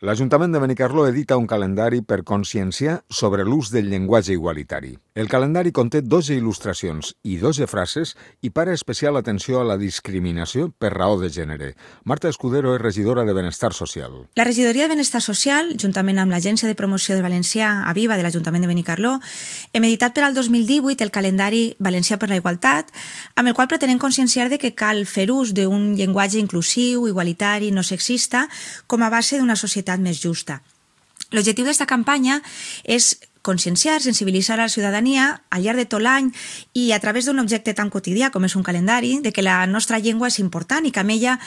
L'Ajuntament de Benicarló edita un calendari per conscienciar sobre l'ús del llenguatge igualitari. El calendari conté 12 il·lustracions i 12 frases i para especial atenció a la discriminació per raó de gènere. Marta Escudero és regidora de Benestar Social. La regidoria de Benestar Social, juntament amb l'Agència de Promoció del Valencià, AVIVA, de l'Ajuntament de Benicarló, hem editat per al 2018 el calendari Valencià per la Igualtat, amb el qual pretenem conscienciar de que cal fer ús d'un llenguatge inclusiu, igualitari, no sexista, com a base d'una societat més justa. L'objectiu d'aquesta campanya és conscienciar, sensibilitzar a la ciutadania al llarg de tot l'any i a través d'un objecte tan quotidià com és un calendari, de que la nostra llengua és important i que amb ella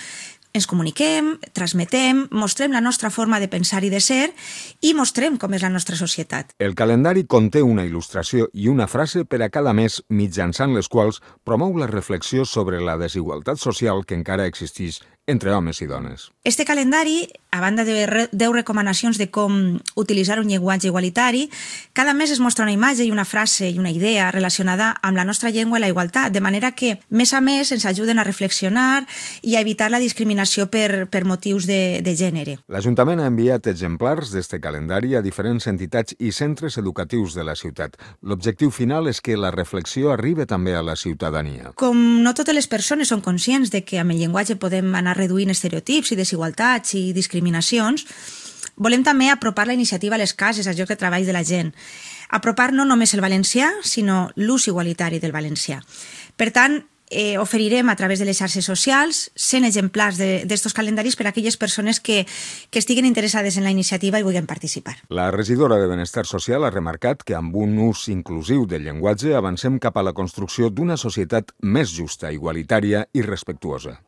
ens comuniquem, transmetem, mostrem la nostra forma de pensar i de ser i mostrem com és la nostra societat. El calendari conté una il·lustració i una frase per a cada mes, mitjançant les quals promou la reflexió sobre la desigualtat social que encara existeix entre homes i dones. Este calendari, a banda de 10 recomanacions de com utilitzar un llenguatge igualitari, cada mes es mostra una imatge i una frase i una idea relacionada amb la nostra llengua i la igualtat, de manera que, mes a mes, ens ajuden a reflexionar i a evitar la discriminació per motius de gènere. L'Ajuntament ha enviat exemplars d'este calendari a diferents entitats i centres educatius de la ciutat. L'objectiu final és que la reflexió arribi també a la ciutadania. Com no totes les persones són conscients de que amb el llenguatge podem anar reduint estereotips i desigualtats i discriminacions, volem també apropar la iniciativa a les cases, als llocs de treball de la gent. Apropar no només el valencià, sinó l'ús igualitari del valencià. Per tant, oferirem a través de les xarxes socials 100 exemplars d'estos calendaris per a aquelles persones que estiguen interessades en la iniciativa i vulguin participar. La regidora de Benestar Social ha remarcat que amb un ús inclusiu del llenguatge avancem cap a la construcció d'una societat més justa, igualitària i respectuosa.